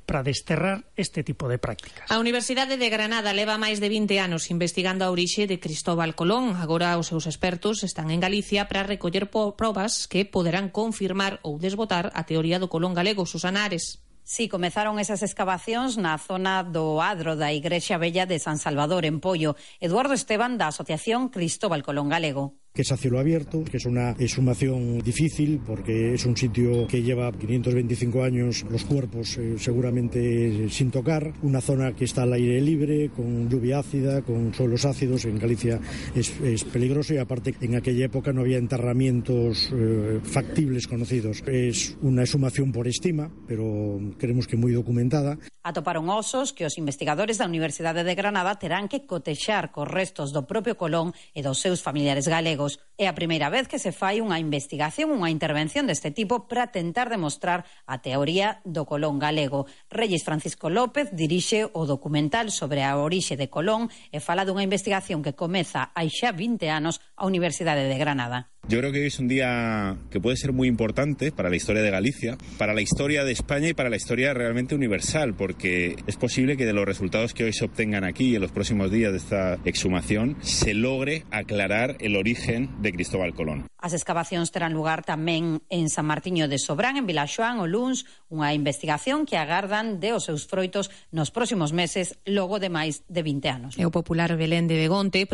para desterrar este tipo de prácticas. A Universidade de Granada leva máis de 20 anos investigando a orixe de Cristóbal Colón. Agora os seus expertos están en Galicia para recoller probas que poderán confirmar ou desbotar a teoría do Colón galego. Susana Ares. Sí, comezaron esas escavacións na zona do adro da Igrexa Vella de San Salvador, en Pollo. Eduardo Esteban, da Asociación Cristóbal Colón Galego. Que es a cielo abierto, que es una exhumación difícil porque es un sitio que lleva 525 años los cuerpos seguramente sin tocar, una zona que está al aire libre, con lluvia ácida, con suelos ácidos. En Galicia es peligroso y aparte en aquella época no había enterramientos factibles conocidos. Es una exhumación por estima, pero creemos que moi documentada. Atoparon osos que os investigadores da Universidade de Granada terán que cotexar cos restos do propio Colón e dos seus familiares galegos. É a primeira vez que se fai unha investigación, unha intervención deste tipo para tentar demostrar a teoría do Colón galego. Reyes Francisco López dirixe o documental sobre a orixe de Colón e fala dunha investigación que comeza hai xa 20 anos a Universidade de Granada. Yo creo que hoy es un día que puede ser muy importante para la historia de Galicia, para la historia de España y para la historia realmente universal, porque es posible que de los resultados que hoy se obtengan aquí en los próximos días de esta exhumación se logre aclarar el origen de Cristóbal Colón. As escavacións terán lugar tamén en San Martiño de Sobrán, en Vilaxoán, o luns, unha investigación que agardan de os seus froitos nos próximos meses, logo de máis de 20 anos. E o popular Belén de Begonte